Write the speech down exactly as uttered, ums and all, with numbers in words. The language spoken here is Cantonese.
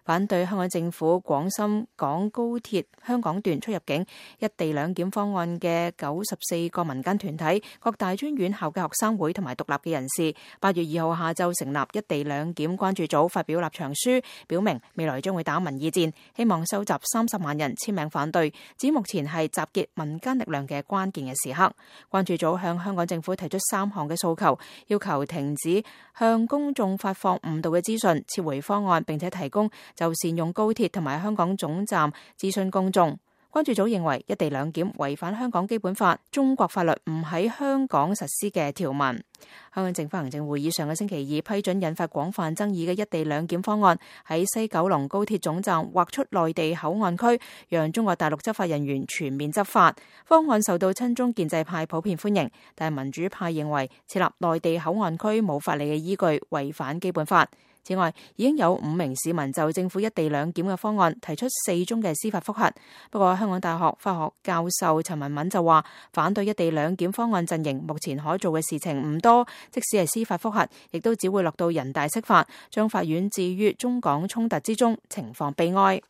反對香港政府廣深港高鐵香港段出入境一地兩檢方案嘅九十四個民間團體、各大專院校嘅學生會同埋獨立嘅人士，八月二號下晝成立一地兩檢關注組，發表立場書，表明未來將會打民意戰，希望收集三十萬人簽名反對，指目前係集結民間力量嘅關鍵嘅時刻。關注組向香港政府提出三項嘅訴求，要求停止向公眾發放誤導嘅資訊，撤回方案，並且提供就善用高鐵同埋香港總站諮詢公眾。關注組認為一地兩檢違反香港基本法、中國法律唔喺香港實施嘅條文。香港政府行政會議上個星期二批准引發廣泛爭議嘅一地兩檢方案，喺西九龍高鐵總站劃出內地口岸區，讓中國大陸執法人員全面執法。方案受到親中建制派普遍歡迎，但民主派認為設立內地口岸區冇法理嘅依據，違反基本法。此外，已經有五名市民就政府一地兩檢嘅方案提出四宗嘅司法覆核。不過，香港大學法學教授陳文敏就話，反對一地兩檢方案陣營目前可做嘅事情唔多，即使係司法覆核，亦都只會落到人大釋法，將法院置於中港衝突之中，情況悲哀。